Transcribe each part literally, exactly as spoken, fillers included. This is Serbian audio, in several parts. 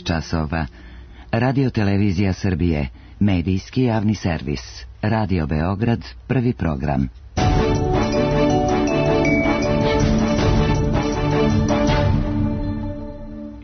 časova. Radio Televizija Srbije, medijski javni servis. Radio Beograd, prvi program.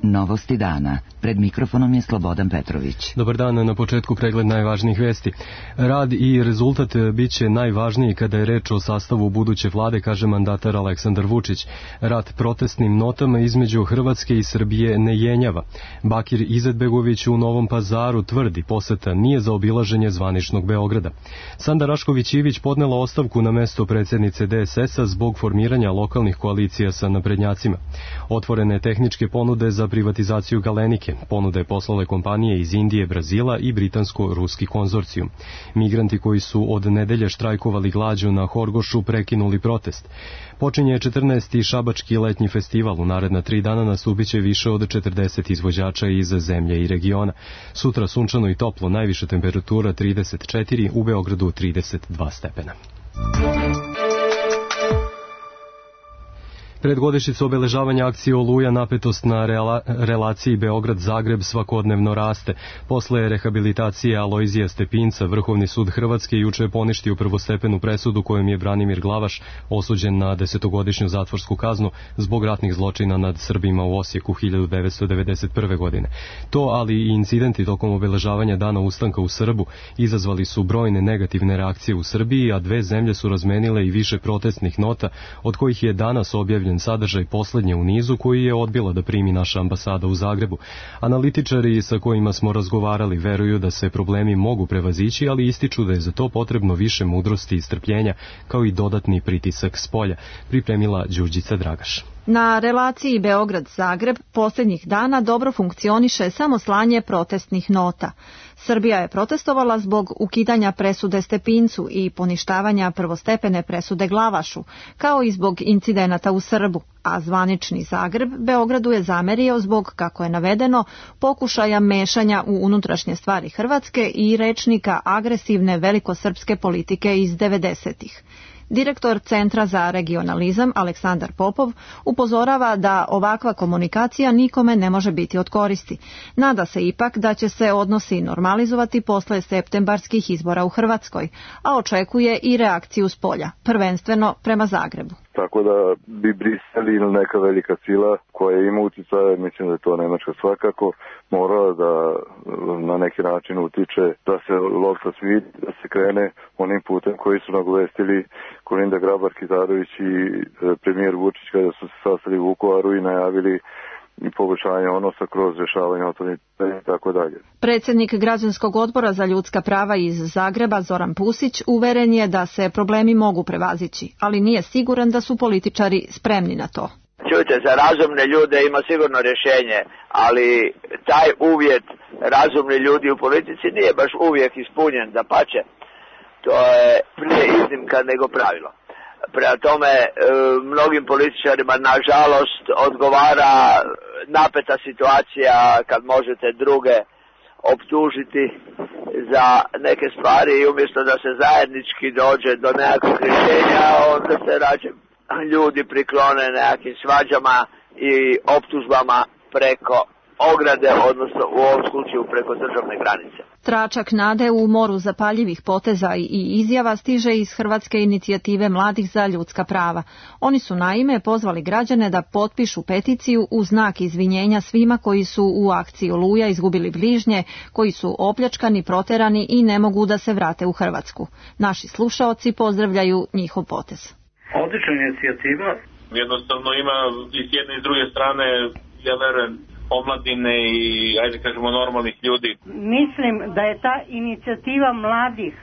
Novosti dana. Pred mikrofonom je Slobodan Petrović. Dobar dan, na početku pregled najvažnijih vesti. Rad i rezultat biće najvažniji kada je reč o sastavu buduće vlade, kaže mandatar Aleksandar Vučić. Rat protestnim notama između Hrvatske i Srbije ne jenjava. Bakir Izetbegović u Novom Pazaru tvrdi poseta nije za obilaženje zvaničnog Beograda. Sanda Rašković-Ivić podnela ostavku na mesto predsjednice D S S-a zbog formiranja lokalnih koalicija sa naprednjacima. Otvorene tehničke ponude za privatizaciju Galenike. Ponude poslale kompanije iz Indije, Brazila i britansko-ruski konzorcijum. Migranti koji su od nedelje štrajkovali glađu na Horgošu prekinuli protest. Počinje četrnaesti Šabački letnji festival. U naredna tri dana nastupiće više od četrdeset izvođača iz zemlje i regiona. Sutra sunčano i toplo, najviša temperatura trideset četiri, u Beogradu trideset dva stepena. Pred godišnjicu obeležavanja akcije Oluja napetost na rela, relaciji Beograd-Zagreb svakodnevno raste. Posle rehabilitacije Alojzija Stepinca, Vrhovni sud Hrvatske juče je poništio prvostepenu presudu kojom je Branimir Glavaš osuđen na desetogodišnju zatvorsku kaznu zbog ratnih zločina nad Srbima u Osijeku hiljadu devetsto devedeset prve. godine. To, ali i incidenti tokom obeležavanja Dana ustanka u Srbu izazvali su brojne negativne reakcije u Srbiji, a dve zemlje su razmenile i više protestnih nota, od kojih je danas objavljen sadržaj poslednje u nizu koji je odbila da primi naša ambasada u Zagrebu. Analitičari sa kojima smo razgovarali veruju da se problemi mogu prevazići, ali ističu da je za to potrebno više mudrosti i strpljenja, kao i dodatni pritisak s polja, pripremila Đurđica Dragaš. Na relaciji Beograd-Zagreb posljednjih dana dobro funkcioniše samo slanje protestnih nota. Srbija je protestovala zbog ukidanja presude Stepincu i poništavanja prvostepene presude Glavašu, kao i zbog incidenata u Srbu, a zvanični Zagreb Beogradu je zamerio zbog, kako je navedeno, pokušaja mešanja u unutrašnje stvari Hrvatske i rečnika agresivne velikosrpske politike iz devedesetih. Direktor Centra za regionalizam Aleksandar Popov upozorava da ovakva komunikacija nikome ne može biti od koristi. Nada se ipak da će se odnosi normalizovati posle septembarskih izbora u Hrvatskoj, a očekuje i reakciju s polja, prvenstveno prema Zagrebu. Tako da bi Brisel ili neka velika sila koja ima utjecaje, mislim da je to Nemačka svakako, mora da na neki način utiče da se lopta svidi, da se krene onim putem koji su nagovestili Kolinda Grabar-Kitarović i premijer Vučić kada su se sastali u Vukovaru i najavili i poboljšanje odnosa kroz rješavanje otvorenih pitanja i tako dalje. Predsjednik Građanskog odbora za ljudska prava iz Zagreba Zoran Pusić uveren je da se problemi mogu prevazići, ali nije siguran da su političari spremni na to. Čujte, za razumne ljude ima sigurno rješenje, ali taj uvjet razumni ljudi u politici nije baš uvijek ispunjen, dapače. To je prije iznimka nego pravilo. Prema tome, mnogim političarima nažalost odgovara napeta situacija kad možete druge optužiti za neke stvari i umjesto da se zajednički dođe do nekakvog rješenja, onda se rađe ljudi priklone nekakvim svađama i optužbama preko ograde, odnosno u ovom slučaju preko državne granice. Tračak nade u moru zapaljivih poteza i izjava stiže iz Hrvatske inicijative mladih za ljudska prava. Oni su naime pozvali građane da potpišu peticiju u znak izvinjenja svima koji su u akciji Oluja izgubili bližnje, koji su opljačkani, proterani i ne mogu da se vrate u Hrvatsku. Naši slušaoci pozdravljaju njihov potez. Odlična inicijativa. Jednostavno ima i s jedne i s druge strane, ja verujem, omladine i, ajde kažemo, normalnih ljudi. Mislim da je ta inicijativa mladih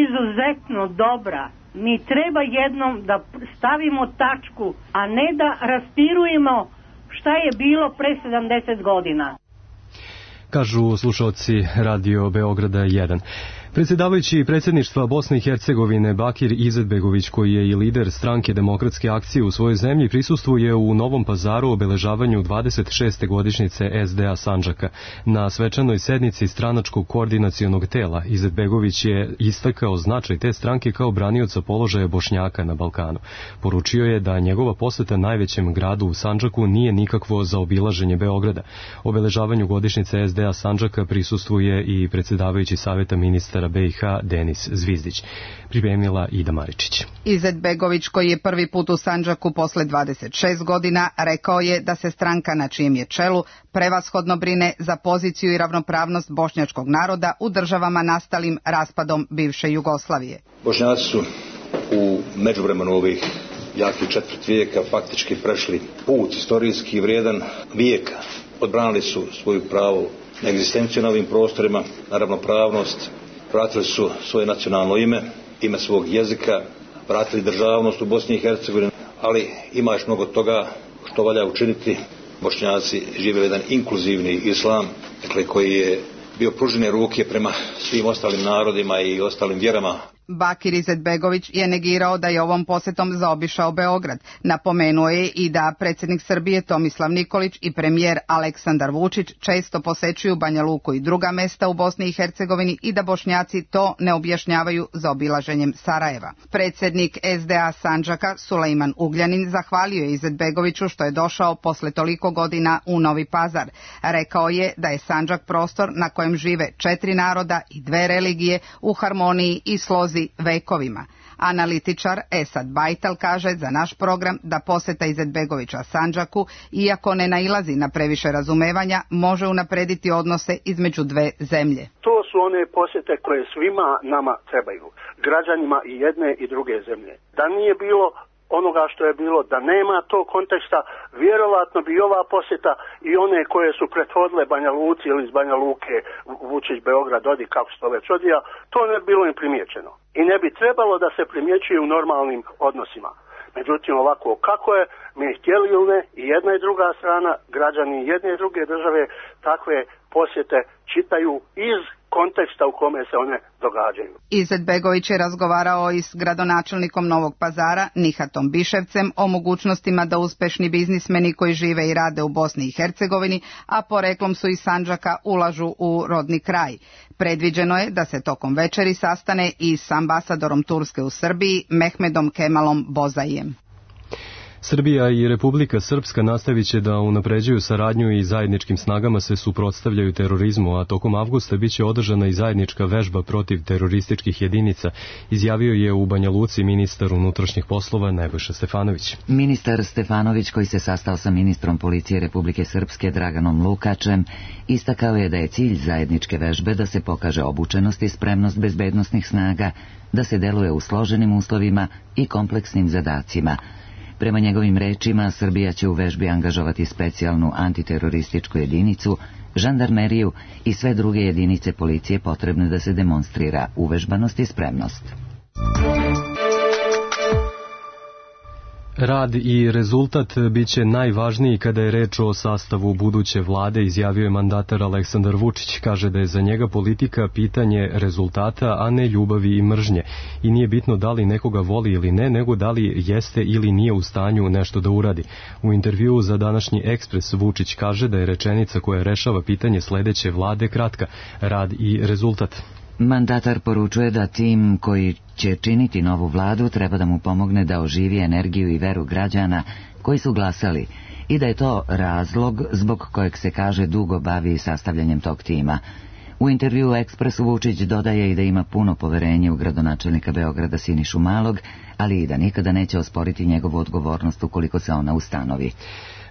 izuzetno dobra. Mi treba jednom da stavimo tačku, a ne da raspirujemo šta je bilo pre sedamdeset godina. Kažu slušalci Radio Beograda jedan. Predsjedavajući predsjedništva Bosne i Hercegovine Bakir Izetbegović, koji je i lider stranke Demokratske akcije u svojoj zemlji, prisustvuje u Novom Pazaru obeležavanju dvadeset šeste godišnjice es de a Sandžaka. Na svečanoj sednici stranačkog koordinacionog tela Izetbegović je istakao značaj te stranke kao branioca položaja Bošnjaka na Balkanu. Poručio je da njegova poseta najvećem gradu u Sandžaku nije nikakvo zaobilaženje Beograda. Obeležavanju godišnjice es de a Sandžaka prisustvuje i predsjedavajući savjeta ministara be i ha Denis Zvizdić. Pripremila Ida Maričić. Izetbegović, koji je prvi put u Sandžaku posle dvadeset šest godina, rekao je da se stranka na čijem je čelu prevashodno brine za poziciju i ravnopravnost bošnjačkog naroda u državama nastalim raspadom bivše Jugoslavije. Bošnjaci su u međuvremenu ovih jakih četvrt vijeka faktički prešli put istorijski vrijedan vijeka. Odbranili su svoju pravo na egzistenciju na ovim prostorima, na ravnopravnost, vratili su svoje nacionalno ime, ime svog jezika, vratili državnost u Bosni i Hercegovini, ali ima još mnogo toga što valja učiniti. Bošnjaci žive jedan inkluzivni islam, dakle, koji je bio pružene ruke prema svim ostalim narodima i ostalim vjerama. Bakir Izetbegović je negirao da je ovom posjetom zaobišao Beograd. Napomenuo je i da predsjednik Srbije Tomislav Nikolić i premijer Aleksandar Vučić često posećuju Banja Luku i druga mesta u Bosni i Hercegovini i da Bošnjaci to ne objašnjavaju zaobilaženjem Sarajeva. Predsjednik es de a Sandžaka Sulejman Ugljanin zahvalio je Izetbegoviću što je došao posle toliko godina u Novi Pazar. Rekao je da je Sandžak prostor na kojem žive četiri naroda i dve religije u harmoniji i slozi vekovima. Analitičar Esad Bajtal kaže za naš program da posjeta Izetbegovića Sandžaku, iako ne nailazi na previše razumevanja, može unaprediti odnose između dve zemlje. To su one posjete koje svima nama trebaju, građanima i jedne i druge zemlje. Da nije bilo onoga što je bilo, da nema tog konteksta, vjerovatno bi ova posjeta i one koje su prethodile Banja Luci ili iz Banja Luke, Vučić, Beograd, odi kako se to već odvija, to ne bi bilo im primijećeno. I ne bi trebalo da se primjećuje u normalnim odnosima. Međutim, ovako kako je, mi htjeli ili ne, i jedna i druga strana, građani jedne i druge države, takve posjete čitaju iz konteksta u kome se one događaju. Izetbegović je razgovarao i s gradonačelnikom Novog Pazara Nihatom Biševcem o mogućnostima da uspešni biznismeni koji žive i rade u Bosni i Hercegovini, a poreklom su iz Sandžaka, ulažu u rodni kraj. Predviđeno je da se tokom večeri sastane i s ambasadorom Turske u Srbiji Mehmedom Kemalom Bozajem. Srbija i Republika Srpska nastavit će da unapređuju saradnju i zajedničkim snagama se suprotstavljaju terorizmu, a tokom avgusta biće održana i zajednička vežba protiv terorističkih jedinica, izjavio je u Banja Luci ministar unutrašnjih poslova Nebojša Stefanović. Ministar Stefanović, koji se sastao sa ministrom policije Republike Srpske Draganom Lukačem, istakao je da je cilj zajedničke vežbe da se pokaže obučenost i spremnost bezbednosnih snaga, da se deluje u složenim uslovima i kompleksnim zadacima. Prema njegovim rečima, Srbija će u vežbi angažovati specijalnu antiterorističku jedinicu, žandarmeriju i sve druge jedinice policije potrebne da se demonstrira uvežbanost i spremnost. Rad i rezultat biće najvažniji kada je reč o sastavu buduće vlade, izjavio je mandatar Aleksandar Vučić. Kaže da je za njega politika pitanje rezultata, a ne ljubavi i mržnje. I nije bitno da li nekoga voli ili ne, nego da li jeste ili nije u stanju nešto da uradi. U intervjuu za današnji Ekspres Vučić kaže da je rečenica koja rešava pitanje sledeće vlade kratka: rad i rezultat. Mandatar poručuje da tim koji će činiti novu vladu treba da mu pomogne da oživi energiju i veru građana koji su glasali i da je to razlog zbog kojeg se kaže dugo bavi sastavljanjem tog tima. U intervjuu Ekspresu Vučić dodaje i da ima puno poverenje u gradonačelnika Beograda Sinišu Malog, ali i da nikada neće osporiti njegovu odgovornost ukoliko se ona ustanovi.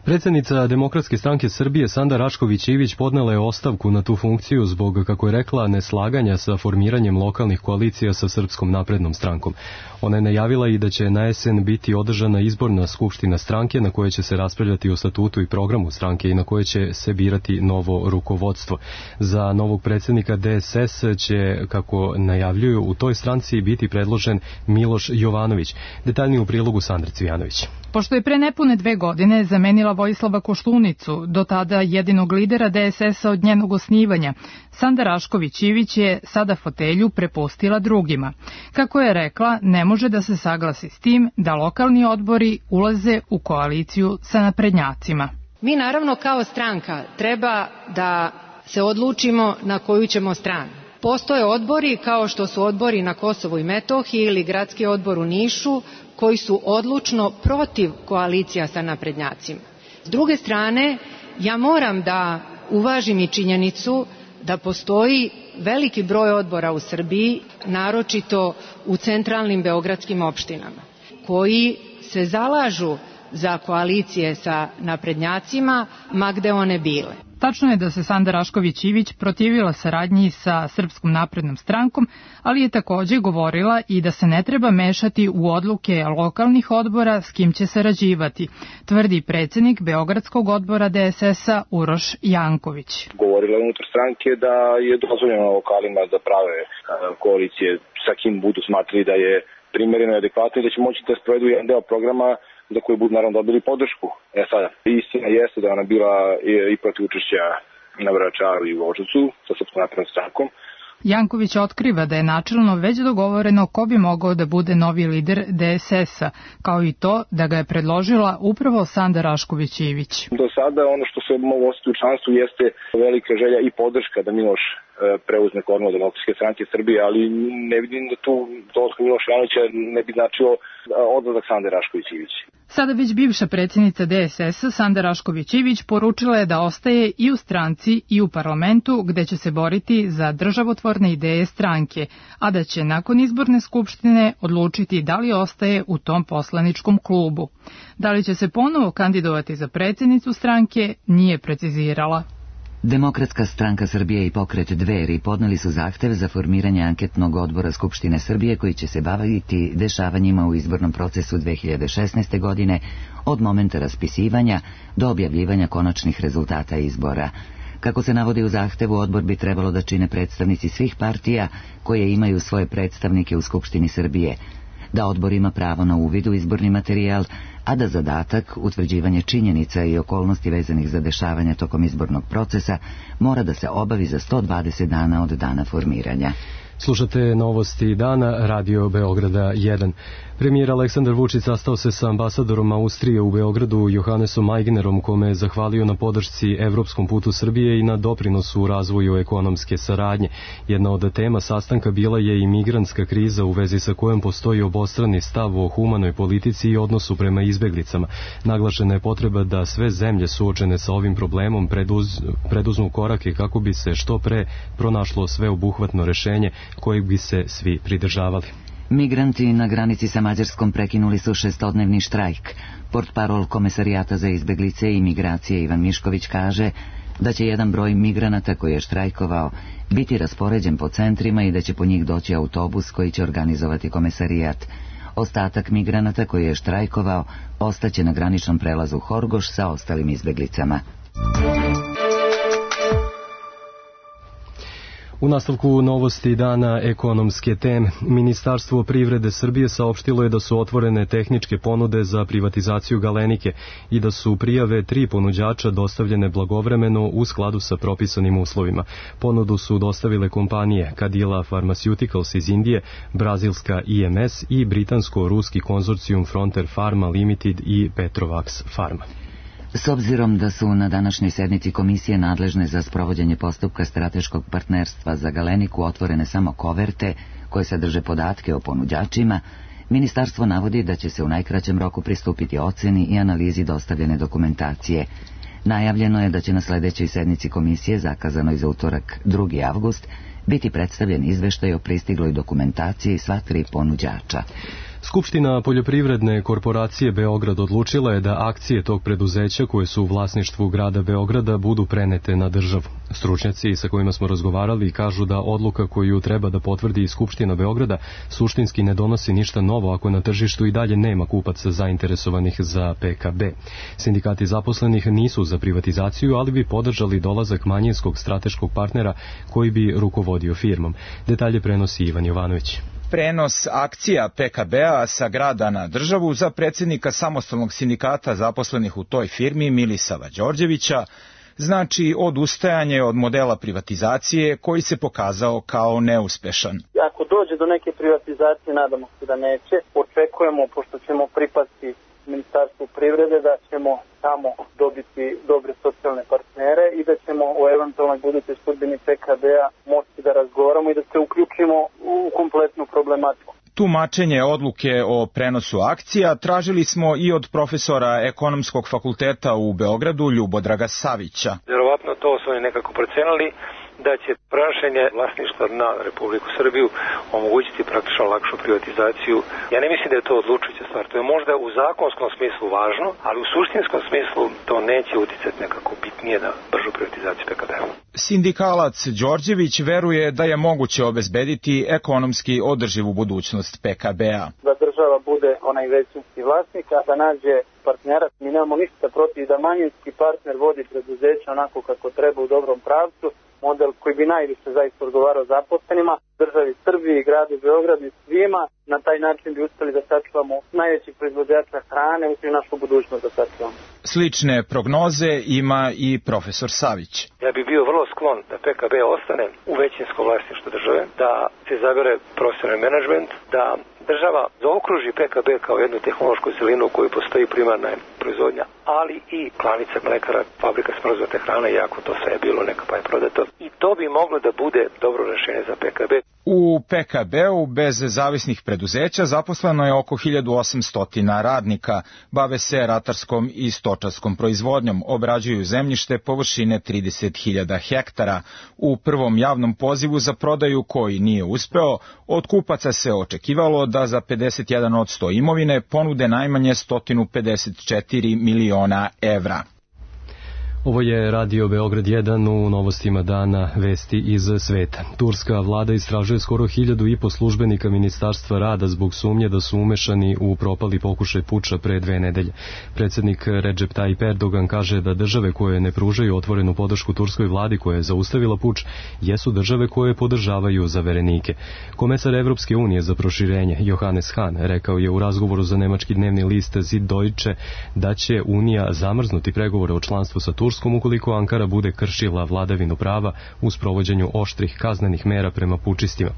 Predsjednica Demokratske stranke Srbije Sanda Rašković-Ivić podnela je ostavku na tu funkciju zbog, kako je rekla, neslaganja sa formiranjem lokalnih koalicija sa Srpskom naprednom strankom. Ona je najavila i da će na jesen biti održana izborna skupština stranke na kojoj će se raspravljati o statutu i programu stranke i na kojoj će se birati novo rukovodstvo. Za novog predsjednika de es es će, kako najavljuju, u toj stranci biti predložen Miloš Jovanović. Detaljnije u prilogu Sandra Cvijanović. Pošto je pre nepune dve godine zamenila Vojislava Koštunicu, do tada jedinog lidera D S S-a od njenog osnivanja, Sanda Rašković Ivić je sada fotelju prepustila drugima. Kako je rekla, ne može da se saglasi s tim da lokalni odbori ulaze u koaliciju sa naprednjacima. Mi naravno kao stranka treba da se odlučimo na koju ćemo stranu. Postoje odbori kao što su odbori na Kosovu i Metohiji ili gradski odbor u Nišu koji su odlučno protiv koalicija sa naprednjacima. S druge strane, ja moram da uvažim i činjenicu da postoji veliki broj odbora u Srbiji, naročito u centralnim beogradskim opštinama, koji se zalažu za koalicije sa naprednjacima, ma gde one bile. Tačno je da se Sanda Rašković Ivić protivila saradnji sa Srpskom naprednom strankom, ali je takođe govorila i da se ne treba mešati u odluke lokalnih odbora s kim će sarađivati, tvrdi predsednik Beogradskog odbora D S S-a Uroš Janković. Govorila je unutar stranke da je dozvoljeno lokalima da prave koalicije sa kim budu smatrali da je primereno i adekvatno i da će moći da sprovedu jedan deo programa za koji budu naravno dobili podršku. E sada, istina jeste da ona bila i, i protiv učešća na Vračaru i u Voždovcu sa Srpskom naprednom strankom. Janković otkriva da je načelno već dogovoreno ko bi mogao da bude novi lider D S S-a, kao i to da ga je predložila upravo Sanda Rašković Ivić. Do sada ono što se mogu ostati u članstvu jeste velika želja i podrška da Miloš preuzme kormilo Demokratske stranke Srbije, ali ne vidim da tu dolazak Miloša Janovića ne bi značilo odlazak Sande Rašković Ivić. Sada već bivša predsjednica D S S-a Sanda Rašković Ivić poručila je da ostaje i u stranci i u parlamentu gde će se boriti za državotvorne ideje stranke, a da će nakon izborne skupštine odlučiti da li ostaje u tom poslaničkom klubu. Da li će se ponovo kandidovati za predsjednicu stranke, nije precizirala. Demokratska stranka Srbije i pokret Dveri podneli su zahtev za formiranje anketnog odbora Skupštine Srbije koji će se baviti dešavanjima u izbornom procesu dve hiljade šesnaeste. godine od momenta raspisivanja do objavljivanja konačnih rezultata izbora. Kako se navodi u zahtevu, odbor bi trebalo da čine predstavnici svih partija koje imaju svoje predstavnike u Skupštini Srbije, da odbor ima pravo na uvid u izborni materijal, a da zadatak, utvrđivanje činjenica i okolnosti vezanih za dešavanja tokom izbornog procesa, mora da se obavi za sto dvadeset dana od dana formiranja. Slušate novosti dana, Radio Beograda jedan. Premijer Aleksandar Vučić sastao se sa ambasadorom Austrije u Beogradu Johannesom Aignerom, kome je zahvalio na podršci evropskom putu Srbije i na doprinosu u razvoju ekonomske saradnje. Jedna od tema sastanka bila je i migrantska kriza u vezi sa kojom postoji obostrani stav o humanoj politici i odnosu prema izbeglicama. Naglašena je potreba da sve zemlje suočene sa ovim problemom preduz, preduzmu korake kako bi se što pre pronašlo sveobuhvatno rešenje kojeg bi se svi pridržavali. Migranti na granici sa Mađarskom prekinuli su šestodnevni štrajk. Portparol Komesarijata za izbeglice i migracije Ivan Mišković kaže da će jedan broj migranata koji je štrajkovao biti raspoređen po centrima i da će po njih doći autobus koji će organizovati komesarijat. Ostatak migranata koji je štrajkovao ostaće na graničnom prelazu Horgoš sa ostalim izbeglicama. U nastavku novosti dana ekonomske teme, Ministarstvo privrede Srbije saopštilo je da su otvorene tehničke ponude za privatizaciju Galenike i da su prijave tri ponuđača dostavljene blagovremeno u skladu sa propisanim uslovima. Ponudu su dostavile kompanije Cadila Pharmaceuticals iz Indije, brazilska I M S i britansko-ruski konzorcijum Frontier Pharma Limited i Petrovax Pharma. S obzirom da su na današnjoj sednici komisije nadležne za sprovođenje postupka strateškog partnerstva za Galeniku otvorene samo koverte koje sadrže podatke o ponuđačima, ministarstvo navodi da će se u najkraćem roku pristupiti oceni i analizi dostavljene dokumentacije. Najavljeno je da će na sledećoj sednici komisije, zakazanoj za utorak drugi avgust, biti predstavljen izveštaj o pristigloj dokumentaciji sva tri ponuđača. Skupština poljoprivredne korporacije Beograd odlučila je da akcije tog preduzeća koje su u vlasništvu grada Beograda budu prenete na državu. Stručnjaci sa kojima smo razgovarali kažu da odluka koju treba da potvrdi Skupština Beograda suštinski ne donosi ništa novo ako na tržištu i dalje nema kupaca zainteresovanih za P K B. Sindikati zaposlenih nisu za privatizaciju, ali bi podržali dolazak manjinskog strateškog partnera koji bi rukovodio firmom. Detalje prenosi Ivan Jovanović. Prenos akcija P K B-a sa grada na državu za predsjednika samostalnog sindikata zaposlenih u toj firmi Milisava Đorđevića znači odustajanje od modela privatizacije koji se pokazao kao neuspešan. Ako dođe do neke privatizacije, nadamo se da neće, očekujemo, pošto ćemo pripasti Ministarstvu privrede, da ćemo tamo dobiti dobre socijalne partnere i da ćemo o eventualnoj budućoj sudbini P K B-a moći da razgovaramo i da se uključimo u kompletnu problematiku. Tumačenje odluke o prenosu akcija tražili smo i od profesora Ekonomskog fakulteta u Beogradu Ljubodraga Savića. Vjerovatno to su oni nekako procenili da će prenošenje vlasništva na Republiku Srbiju omogućiti praktično lakšu privatizaciju. Ja ne mislim da je to odlučujuća stvar. To je možda u zakonskom smislu važno, ali u suštinskom smislu to neće uticati nekako bitnije na bržu privatizaciju P K B-a. Sindikalac Đorđević veruje da je moguće obezbediti ekonomski održivu budućnost P K B-a. Da država bude onaj većinski vlasnik, a da nađe partnera. Mi nemamo ništa protiv da manjinski partner vodi preduzeće onako kako treba u dobrom pravcu, model koji bi najviše zaista odgovarao zaposlenima, državi Srbiji, gradu Beogradu i svima. Na taj način bi uspeli da sačuvamo najvećih proizvođača hrane, uspeli našu budućnost da sačuvamo. Slične prognoze ima i profesor Savić. Ja bih bio vrlo sklon da P K B ostane u većinsko vlasništvo države, da se izabere profesionalni menadžment, da država zaokruži P K B kao jednu tehnološku celinu u kojoj postoji primarna proizvodnja, ali i klanica mlekara, fabrika smrznute hrane, iako to sve je bilo neka pa je prodato. I to bi moglo da bude dobro rešenje za P K B. U P K B-u bez zavisnih preduzeća zaposleno je oko hiljadu osamsto radnika, bave se ratarskom i stočarskom proizvodnjom, obrađuju zemljište površine trideset hiljada hektara. U prvom javnom pozivu za prodaju koji nije uspeo, od kupaca se očekivalo da za pedeset jedan posto imovine ponude najmanje sto pedeset četiri miliona evra. Ovo je Radio Beograd jedan, u novostima dana vesti iz sveta. Turska vlada istražuje skoro hiljadu i po službenika Ministarstva rada zbog sumnje da su umešani u propali pokušaj puča pre dve nedelje. Predsjednik Recep Tayyip Erdogan kaže da države koje ne pružaju otvorenu podršku turskoj vladi koja je zaustavila puč jesu države koje podržavaju zaverenike. Komesar Evropske unije za proširenje Johannes Hahn rekao je u razgovoru za nemački dnevni list Süddeutsche da će Unija zamrznuti pregovore o članstvu sa Turskom ukoliko Ankara bude kršila vladavinu prava u sprovođenju oštrih kaznenih mera prema pučistima.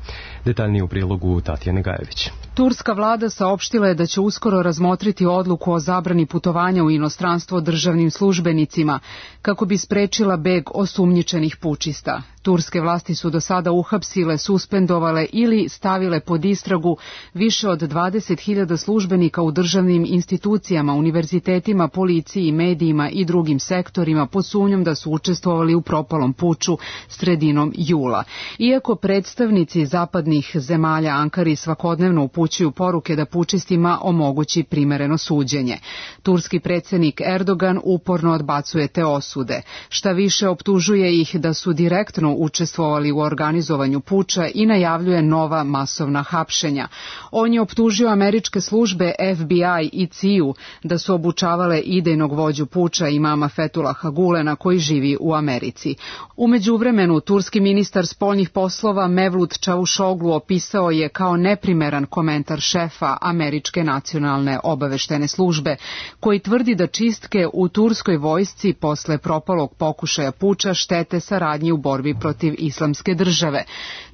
Detaljnije u prilogu Tatjane Gajević. Turska vlada saopštila je da će uskoro razmotriti odluku o zabrani putovanja u inostranstvo državnim službenicima kako bi sprečila beg osumnjičenih pučista. Turske vlasti su do sada uhapsile, suspendovale ili stavile pod istragu više od dvadeset hiljada službenika u državnim institucijama, univerzitetima, policiji, medijima i drugim sektorima pod sumnjom da su učestvovali u propalom puču sredinom jula. Iako predstavnici zapadnih zemalja Ankari svakodnevno upućuju poruke da pučistima omogući primereno suđenje, turski predsjednik Erdogan uporno odbacuje te osude. Šta više, optužuje ih da su direktno učestvovali u organizovanju puča i najavljuje nova masovna hapšenja. On je optužio američke službe F B I i C I U da su obučavale idejnog vođu puča imama Fethullaha Gulena koji živi u Americi. U međuvremenu, turski ministar spoljnih poslova Mevlut Čavuşoglu opisao je kao neprimeran komentar šefa američke nacionalne obaveštene službe, koji tvrdi da čistke u turskoj vojsci posle propalog pokušaja puča štete saradnji u borbi protiv islamske države.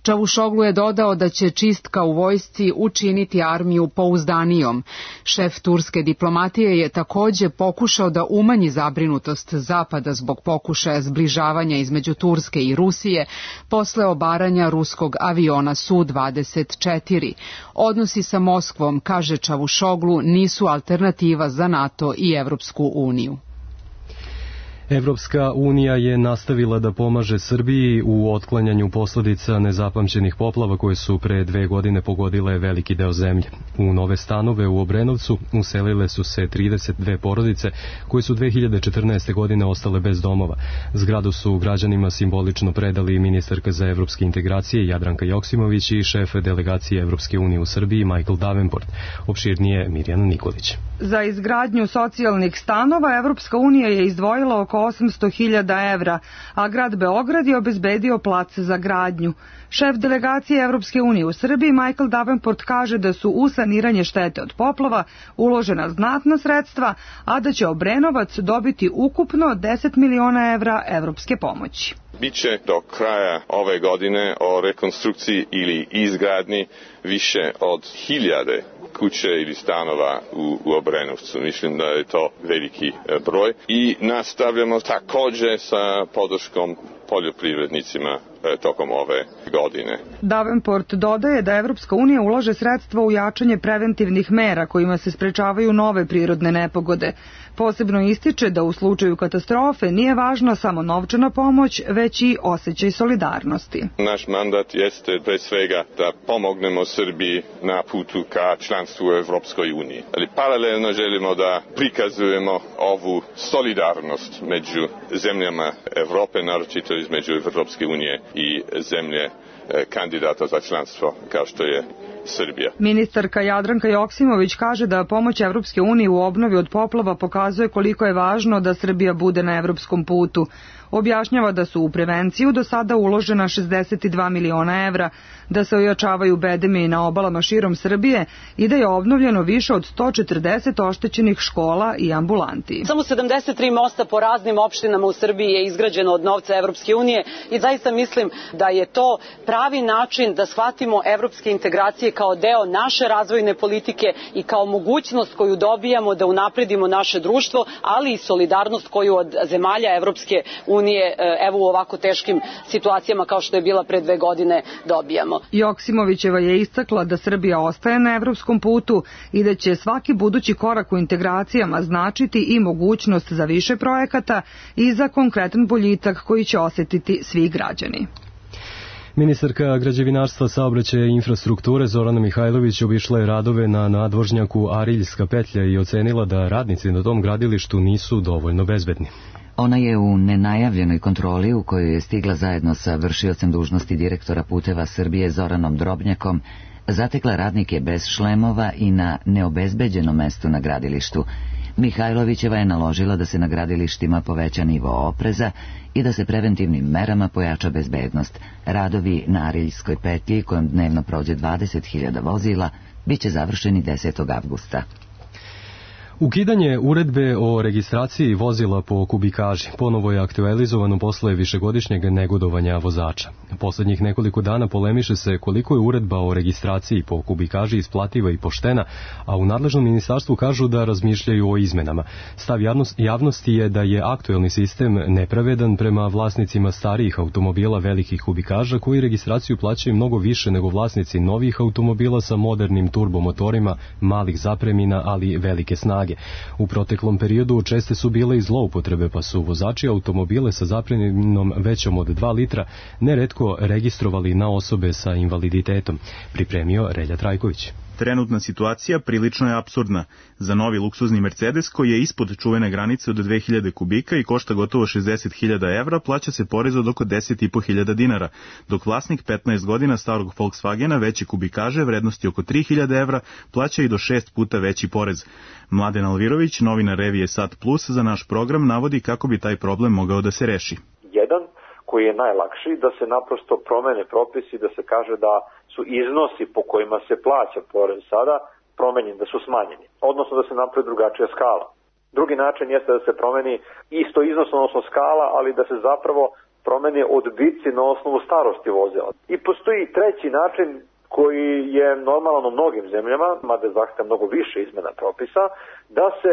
Čavuşoglu je dodao da će čistka u vojsci učiniti armiju pouzdanijom. Šef turske diplomatije je takođe pokušao da umanji zabrinutost Zapada zbog pokušaja zbližavanja između Turske i Rusije posle obaranja ruskog aviona Su dvadeset četiri. Odnosi sa Moskvom, kaže Čavuşoglu, nisu alternativa za NATO i Evropsku uniju. Evropska unija je nastavila da pomaže Srbiji u otklanjanju posledica nezapamćenih poplava koje su pre dve godine pogodile veliki deo zemlje. U nove stanove u Obrenovcu uselile su se trideset dve porodice koje su dve hiljade četrnaeste. godine ostale bez domova. Zgradu su građanima simbolično predali ministarka za evropske integracije Jadranka Joksimović i šef delegacije Evropske unije u Srbiji Michael Davenport. Opširnije Mirjana Nikolić. Za izgradnju socijalnih stanova Evropska unija je izdvojila oko oko osamsto hiljada evra, a grad Beograd je obezbedio plac za gradnju. Šef delegacije Evropske unije u Srbiji Michael Davenport kaže da su u saniranje štete od poplava uložena znatna sredstva, a da će Obrenovac dobiti ukupno deset miliona evra evropske pomoći. Biće do kraja ove godine o rekonstrukciji ili izgradnji više od hiljade kuće ili stanova u, u Obrenovcu. Mislim da je to veliki broj i nastavljamo također sa podrškom poljoprivrednicima tokom ove godine. Davenport dodaje da Evropska unija ulaže sredstva u jačanje preventivnih mera kojima se sprečavaju nove prirodne nepogode. Posebno ističe da u slučaju katastrofe nije važna samo novčana pomoć, već i osjećaj solidarnosti. Naš mandat jeste pre svega da pomognemo Srbiji na putu ka članstvu u Evropskoj uniji. Ali paralelno želimo da prikazujemo ovu solidarnost među zemljama Evrope, naročito između Evropske unije i zemlje kandidata za članstvo kao što je Srbija. Ministarka Jadranka Joksimović kaže da pomoć Evropske unije u obnovi od poplava pokazuje koliko je važno da Srbija bude na evropskom putu. Objašnjava da su u prevenciju do sada uložena šezdeset dva miliona evra, da se ojačavaju bedemi na obalama širom Srbije i da je obnovljeno više od sto četrdeset oštećenih škola i ambulanti. Samo sedamdeset tri mosta po raznim opštinama u Srbiji je izgrađeno od novca Evropske unije i zaista mislim da je to pravi način da shvatimo evropske integracije kao deo naše razvojne politike i kao mogućnost koju dobijamo da unapredimo naše društvo, ali i solidarnost koju od zemalja Evropske unije evo u ovako teškim situacijama kao što je bila pre dve godine dobijamo. Joksimovićeva je istakla da Srbija ostaje na evropskom putu i da će svaki budući korak u integracijama značiti i mogućnost za više projekata i za konkretan boljitak koji će osjetiti svi građani. Ministarka građevinarstva, saobraćaja i infrastrukture Zorana Mihajlović obišla je radove na nadvožnjaku Ariljska petlja i ocenila da radnici na tom gradilištu nisu dovoljno bezbedni. Ona je u nenajavljenoj kontroli u kojoj je stigla zajedno sa vršiocem dužnosti direktora Puteva Srbije Zoranom Drobnjakom zatekla radnike bez šlemova i na neobezbeđenom mestu na gradilištu. Mihajlovićeva je naložila da se na gradilištima poveća nivo opreza i da se preventivnim merama pojača bezbednost. Radovi na Ariljskoj petlji, kojom dnevno prođe dvadeset hiljada vozila, bit će završeni desetog avgusta. Ukidanje uredbe o registraciji vozila po kubikaži ponovo je aktualizovano posle višegodišnjeg negodovanja vozača. Poslednjih nekoliko dana polemiše se koliko je uredba o registraciji po kubikaži isplativa i poštena, a u nadležnom ministarstvu kažu da razmišljaju o izmenama. Stav javnosti je da je aktuelni sistem nepravedan prema vlasnicima starijih automobila velikih kubikaža koji registraciju plaćaju mnogo više nego vlasnici novih automobila sa modernim turbomotorima, malih zapremina, ali velike snage. U proteklom periodu česte su bile i zloupotrebe, pa su vozači automobile sa zapreminom većom od dva litra neretko registrovali na osobe sa invaliditetom, pripremio Relja Trajković. Trenutna situacija prilično je apsurdna. Za novi luksuzni Mercedes koji je ispod čuvene granice od dve hiljade kubika i košta gotovo šezdeset hiljada evra, plaća se porez od oko deset i po hiljada dinara, dok vlasnik petnaest godina starog Volkswagena veće kubikaže vrednosti oko tri hiljade evra plaća i do šest puta veći porez. Mladen Alvirović, novinar revije Sat Plus, za naš program navodi kako bi taj problem mogao da se reši. Jedan koji je najlakši, da se naprosto promene propisi, da se kaže da su iznosi po kojima se plaća porez sada promenjeni, da su smanjeni, odnosno da se napravi drugačija skala. Drugi način jeste da se promeni isto iznos, odnosno skala, ali da se zapravo promeni odbici na osnovu starosti vozila. I postoji treći način koji je normalan u mnogim zemljama, mada zahteva mnogo više izmena propisa, da se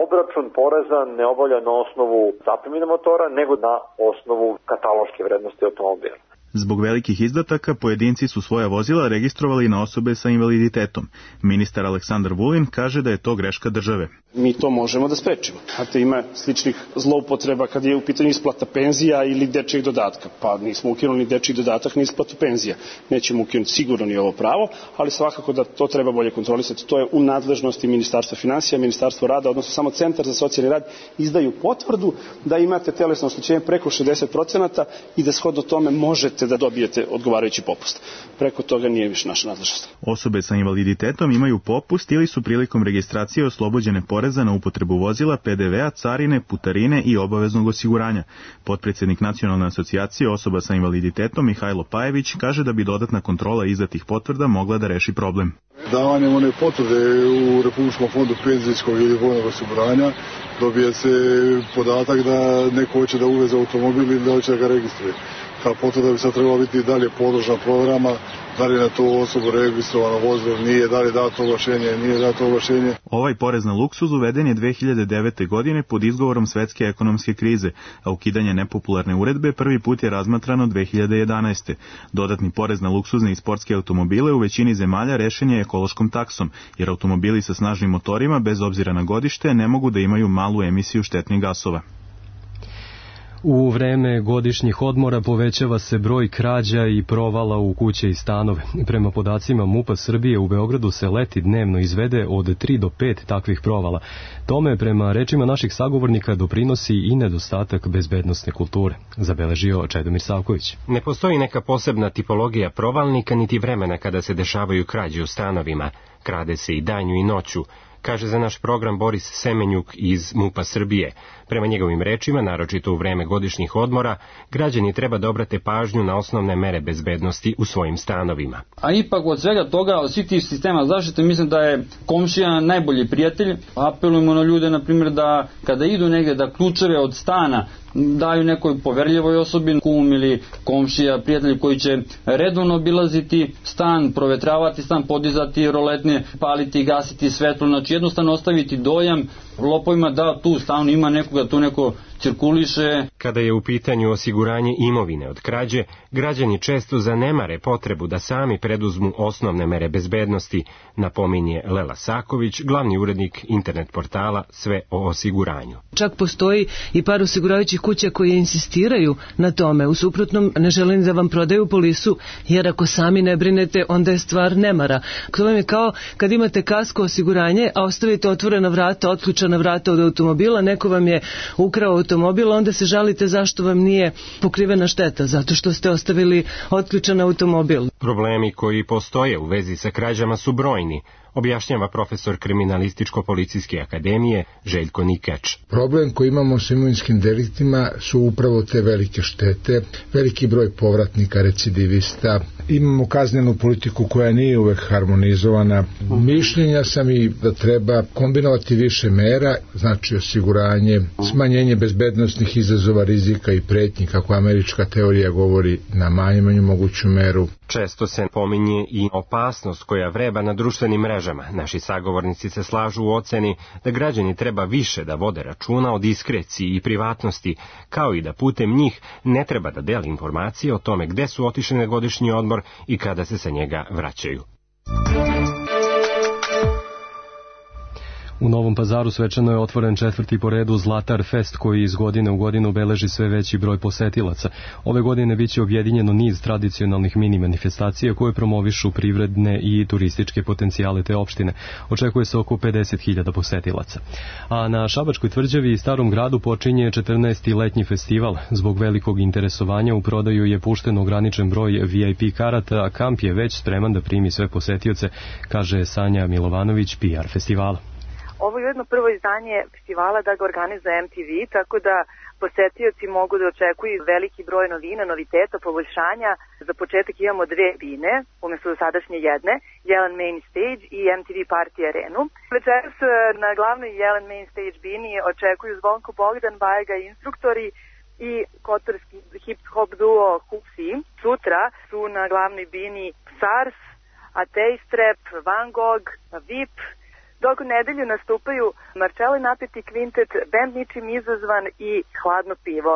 obračun poreza ne obavlja na osnovu zapremine motora, nego na osnovu kataloške vrednosti automobila. Zbog velikih izdataka, pojedinci su svoja vozila registrovali na osobe sa invaliditetom. Ministar Aleksandar Vulin kaže da je to greška države. Mi to možemo da sprečimo. Znate, ima sličnih zloupotreba kad je u pitanju isplata penzija ili dečijeg dodatka. Pa nismo ukinuli ni dečiji dodatak ni isplatu penzija. Nećemo ukinuti sigurno ni ovo pravo, ali svakako da to treba bolje kontrolisati. To je u nadležnosti Ministarstva finansija, Ministarstva rada, odnosno samo Centar za socijalni rad izdaju potvrdu da imate telesno oštećenje preko šezdeset procenata i da shodno tome možete uspete da dobijete odgovarajući popust. Preko toga nije više naša nadležnost. Osobe sa invaliditetom imaju popust ili su prilikom registracije oslobođene poreza na upotrebu vozila, pe de vea, carine, putarine i obaveznog osiguranja. Potpredsjednik Nacionalne asocijacije osoba sa invaliditetom Mihajlo Pajević kaže da bi dodatna kontrola izdatih potvrda mogla da reši problem. Davanjem one potvrde u Republičkom fondu penzijskog ili vojnog osiguranja dobije se podatak da neko hoće da uveze automobil ili da hoće da ga registruje. Ta potvrda bi sad trebala biti dalje podložna provjerama, da li na to osobu registrovano vozilo, nije, da li dato ovlašenje, nije dato ovlašenje. Ovaj porez na luksuz uveden je dve hiljade devete. godine pod izgovorom svetske ekonomske krize, a ukidanje nepopularne uredbe prvi put je razmatrano dve hiljade jedanaeste. Dodatni porez na luksuzne i sportske automobile u većini zemalja rešen je ekološkom taksom, jer automobili sa snažnim motorima, bez obzira na godište, ne mogu da imaju malu emisiju štetnih gasova. U vreme godišnjih odmora povećava se broj krađa i provala u kuće i stanove. Prema podacima MUP-a Srbije u Beogradu se leti dnevno izvede od tri do pet takvih provala. Tome, prema rečima naših sagovornika, doprinosi i nedostatak bezbednosne kulture, zabeležio Čedomir Savković. Ne postoji neka posebna tipologija provalnika niti vremena kada se dešavaju krađe u stanovima. Krade se i danju i noću, kaže za naš program Boris Semenjuk iz MUP-a Srbije. Prema njegovim rečima, naročito u vreme godišnjih odmora, građani treba da obrate pažnju na osnovne mere bezbednosti u svojim stanovima. A ipak od svega toga, od svih tih sistema zaštite, mislim da je komšija najbolji prijatelj. Apelujemo na ljude, na primjer, da kada idu negdje, da ključeve od stana daju nekoj poverljivoj osobi, kum ili komšija, prijatelj koji će redovno obilaziti stan, provetravati stan, podizati roletne, paliti i gasiti svetlo, znači jednostavno ostaviti dojam lopovima da tu stanu ima nekoga, tu neko cirkuliše. Kada je u pitanju osiguranje imovine od krađe, građani često zanemare potrebu da sami preduzmu osnovne mere bezbednosti, napominje Lela Saković, glavni urednik internet portala Sve o osiguranju. Čak postoji i par osiguravajućih kuća koje insistiraju na tome. U suprotnom ne želim da vam prodaju polisu, jer ako sami ne brinete, onda je stvar nemara. To vam je kao kad imate kasko osiguranje, a ostavite otvorena vrata, otključana vrata od automobila, neko vam je ukrao automobil, onda se žalite zašto vam nije pokrivena šteta, zato što ste ostavili otključan automobil. Problemi koji postoje u vezi sa krađama su brojni, objašnjava profesor Kriminalističko-policijske akademije Željko Nikač. Problem koji imamo s imovinskim deliktima su upravo te velike štete, veliki broj povratnika, recidivista. Imamo kaznenu politiku koja nije uvek harmonizovana. Mišljenja sam i da treba kombinovati više mera, znači osiguranje, smanjenje bezbednosnih izazova, rizika i pretnji, kako američka teorija govori, na manju moguću meru. Često se pominje i opasnost koja vreba na društvenim mrežama. Naši sagovornici se slažu u oceni da građani treba više da vode računa o diskreciji i privatnosti, kao i da putem njih ne treba da deli informacije o tome gde su otišli na godišnji odmor i kada se sa njega vraćaju. U Novom Pazaru svečano je otvoren četvrti po redu Zlatar Fest, koji iz godine u godinu beleži sve veći broj posetilaca. Ove godine biće objedinjeno niz tradicionalnih mini manifestacija koje promovišu privredne i turističke potencijale te opštine. Očekuje se oko pedeset hiljada posetilaca. A na Šabačkoj tvrđavi i Starom gradu počinje četrnaesti letnji festival. Zbog velikog interesovanja u prodaju je pušten ograničen broj ve i pe karata, a kamp je već spreman da primi sve posetioce, kaže Sanja Milovanović, pe er festivala. Ovo je jedno prvo izdanje festivala da ga organizuje em te ve, tako da posetioci mogu da očekuju veliki broj novina, noviteta, poboljšanja. Za početak imamo dve bine, umjesto do sadašnje jedne, Jelen Main Stage i em te ve Party Arenu. Večeras na glavnoj Jelen Main Stage bini očekuju Zvonko Bogdan, Bajega instruktori i kotorski hip-hop duo Hupsi. Sutra su na glavnoj bini Sars, Ateistrep, Van Gogh, ve i pe, dok u nedelju nastupaju Marcello i Napeti kvintet, bend Ničim izazvan i Hladno pivo.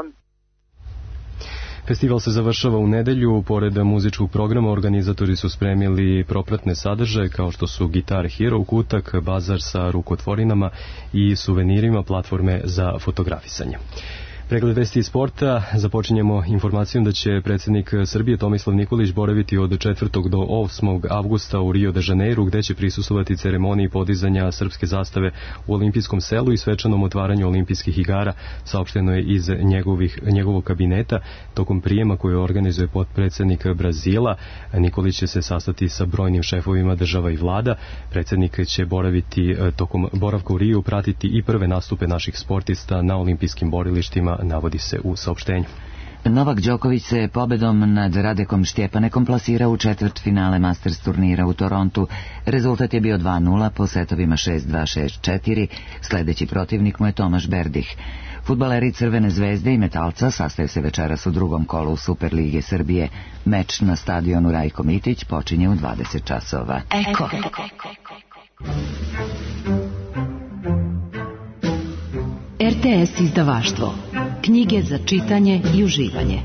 Festival se završava u nedelju. Pored muzičkog programa, organizatori su spremili propratne sadržaje kao što su Guitar Hero, kutak, bazar sa rukotvorinama i suvenirima, platforme za fotografisanje. Pregled vesti iz sporta. Započinjemo informacijom da će predsjednik Srbije Tomislav Nikolić boraviti od četvrtog do osmog avgusta u Rio de Janeiru, gde će prisustvovati ceremoniji podizanja srpske zastave u olimpijskom selu i svečanom otvaranju olimpijskih igara, saopšteno je iz njegovih, njegovog kabineta. Tokom prijema koju organizuje potpredsjednik Brazila, Nikolić će se sastati sa brojnim šefovima država i vlada. Predsjednik će boraviti tokom boravka u Riju, pratiti i prve nastupe naših sportista na olimpijskim borilištima, navodi se u saopštenju. Novak Đoković se pobedom nad Radekom Štjepanekom plasirao u četvrtfinale Masters turnira u Torontu. Rezultat je bio dva nula po setovima šest dva šest četiri. Sledeći protivnik mu je Tomaš Berdih. Fudbaleri Crvene zvezde i Metalca sastaju se večeras u drugom kolu Superlige Srbije. Meč na stadionu Rajko Mitić počinje u dvadeset časova. Eko. R T S izdavaštvo. Knjige za čitanje i uživanje.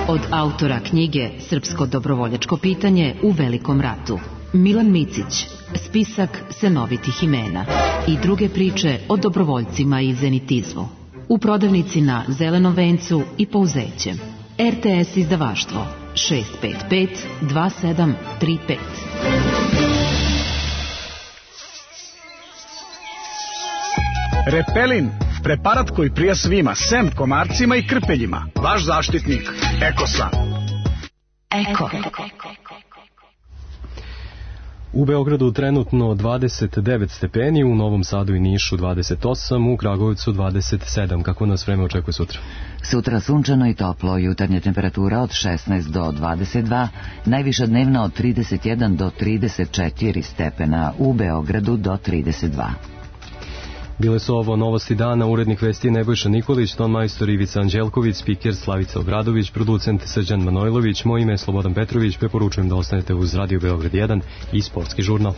Od autora knjige Srpsko dobrovoljačko pitanje u Velikom ratu, Milan Micić, spisak senovitih imena i druge priče o dobrovoljcima i zenitizmu. U prodavnici na Zelenom vencu i Pouzećem. R T S izdavaštvo šest pet pet dva sedam tri pet. Repelin, preparat koji prija svima, sem komarcima i krpeljima. Vaš zaštitnik, Ekosan. Eko. U Beogradu trenutno dvadeset devet stepeni, u Novom Sadu i Nišu dvadeset osam, u Kragujevcu dvadeset sedam. Kako nas vreme očekuje sutra? Sutra sunčano i toplo, jutarnja temperatura od šesnaest do dvadeset dva, najviša dnevna od trideset jedan do trideset četiri stepena, u Beogradu do trideset dva. Bile su ovo novosti dana, urednik vesti Nebojša Nikolić, ton majstor Ivica Anđelković, spiker Slavica Obradović, producent Srđan Manojlović, moje ime je Slobodan Petrović, preporučujem da ostanete uz Radio Beograd jedan i Sportski žurnal.